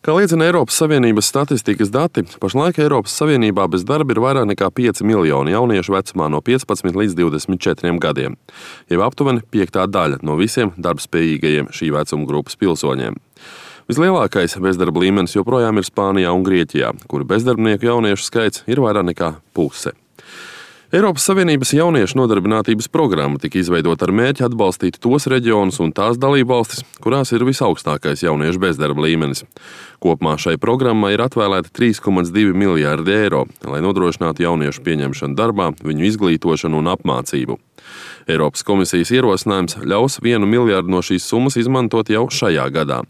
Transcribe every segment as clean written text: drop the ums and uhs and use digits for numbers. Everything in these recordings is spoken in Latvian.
Kā liecina Eiropas Savienības statistikas dati, pašlaik Eiropas Savienībā bez darba ir vairāk nekā 5 miljoni jauniešu vecumā no 15 līdz 24 gadiem, jau aptuveni 5/5 no visiem darbspējīgajiem šī vecuma grupas pilsoņiem. Vislielākais bezdarba līmenis joprojām ir Spānijā un Grieķijā, kur bezdarbnieku jauniešu skaits ir vairāk nekā puse. Eiropas Savienības jauniešu nodarbinātības programma tika izveidota ar mērķi atbalstīt tos reģionus un tās dalībvalstis, kurās ir visaugstākais jauniešu bezdarba līmenis. Kopumā šai programmai ir atvēlēta 3,2 miljārdi eiro, lai nodrošinātu jauniešu pieņemšanu darbā, viņu izglītošanu un apmācību. Eiropas komisijas ierosinājums ļaus 1 miljārdu no šīs summas izmantot jau šajā gadā,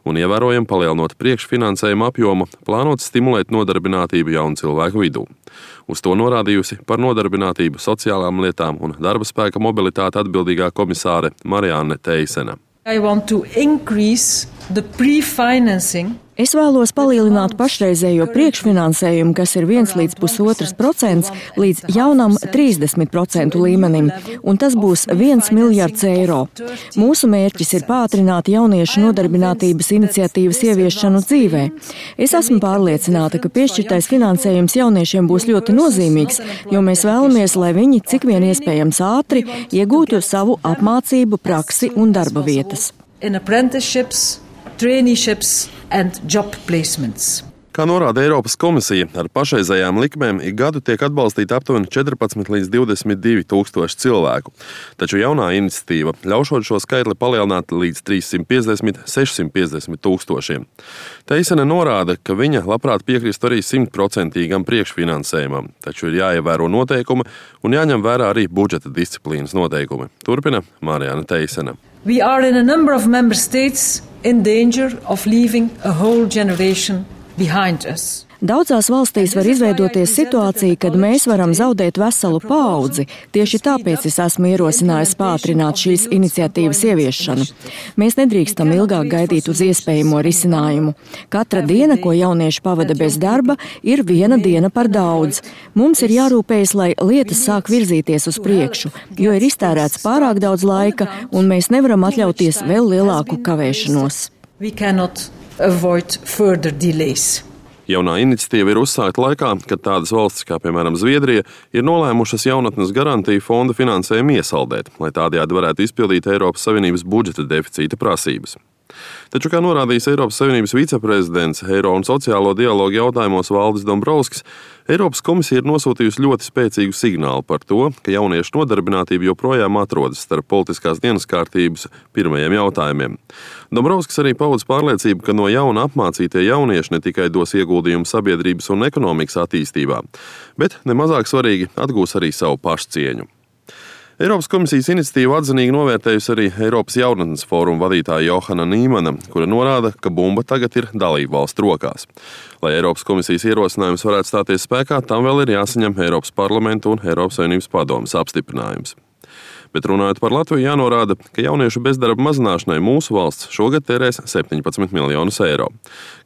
un ievērojami palielinot priekšfinansējuma apjomu, plānots stimulēt nodarbinātību jaunu cilvēku vidū. Uz to norādījusi par nodarbinātību, sociālām lietām un darba spēka mobilitāti atbildīgā komisāre Marianne Teisena. Es vēlos palielināt pašreizējo priekšfinansējumu, kas ir 1 līdz 1,5% līdz jaunam 30% līmenim, un tas būs 1 miljards eiro. Mūsu mērķis ir pātrināt jauniešu nodarbinātības iniciatīvas ieviešanu dzīvē. Es esmu pārliecināta, ka piešķirtais finansējums jauniešiem būs ļoti nozīmīgs, jo mēs vēlamies, lai viņi cik vien iespējams ātri iegūtu savu apmācību, praksi un darba vietas. Traineeships and job placements. Kā norāda Eiropas komisija, ar pašreizējām likmēm ik gadu tiek atbalstīti aptuveni 14 līdz 22 tūkstoši cilvēku, taču jaunā iniciatīva ļaušot šo skaitli palielināt līdz 350–650 tūkstošiem. Teisene norāda, ka viņa labprāt piekristu arī 100% priekšfinansējumam, taču ir jāievēro noteikumi un jāņem vērā arī budžeta disciplīnas noteikumi. Turpina Marianne Teisena. We are in a number of member states in danger of leaving a whole generation behind us. Daudzās valstīs var izveidoties situācija, kad mēs varam zaudēt veselu paudzi. Tieši tāpēc es esmu ierosinājis pātrināt šīs iniciatīvas ieviešanu. Mēs nedrīkstam ilgāk gaidīt uz iespējamo risinājumu. Katra diena, ko jaunieši pavada bez darba, ir 1 diena par daudz. Mums ir jārūpējas, lai lietas sāk virzīties uz priekšu, jo ir iztērēts pārāk daudz laika, un mēs nevaram atļauties vēl lielāku kavēšanos. We cannot avoid further delays. Jaunā iniciatīva ir uzsākta laikā, kad tādas valstis kā, piemēram, Zviedrija, ir nolēmušas jaunatnes garantiju fonda finansējumu iesaldēt, lai tādējādi varētu izpildīt Eiropas Savienības budžeta deficīta prasības. Taču, kā norādījis Eiropas Savienības viceprezidents Eiro un sociālo dialogu jautājumos Valdis Dombrovskis, Eiropas komisija ir nosūtījusi ļoti spēcīgu signālu par to, ka jauniešu nodarbinātība joprojām atrodas starp politiskās dienas kārtības pirmajiem jautājumiem. Dombrovskis arī paudz pārliecību, ka no jauna apmācītie jaunieši ne tikai dos ieguldījumu sabiedrības un ekonomikas attīstībā, bet nemazāk svarīgi atgūs arī savu pašcieņu. Eiropas komisijas iniciatīvu atzinīgi novērtējusi arī Eiropas jaunatnes fóruma vadītāja Johana Nīmana, kura norāda, ka bumba tagad ir dalību valstu rokās. Lai Eiropas komisijas ierosinājums varētu stāties spēkā, tam vēl ir jāsaņem Eiropas parlamenta un Eiropas Savienības padomes apstiprinājums. Bet runājot par Latviju, jānorāda, ka jauniešu bezdarba mazināšanai mūsu valsts šogad tērēs 17 miljonus eiro.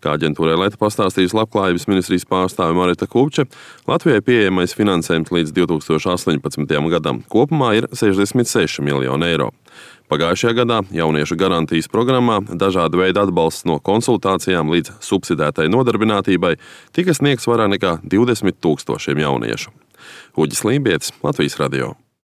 Kā aģentūrai Leta pastāstījusi Labklājības ministrijas pārstāve Marita Kupče, Latvijai pieejamais finansējums līdz 2018. gadam kopumā ir 66 miljoni eiro. Pagājušajā gadā jauniešu garantijas programmā dažāda veida atbalsts no konsultācijām līdz subsidētai nodarbinātībai tika sniegts vairāk nekā 20 000 jauniešu. Uģis Lībietis, Latvijas radio.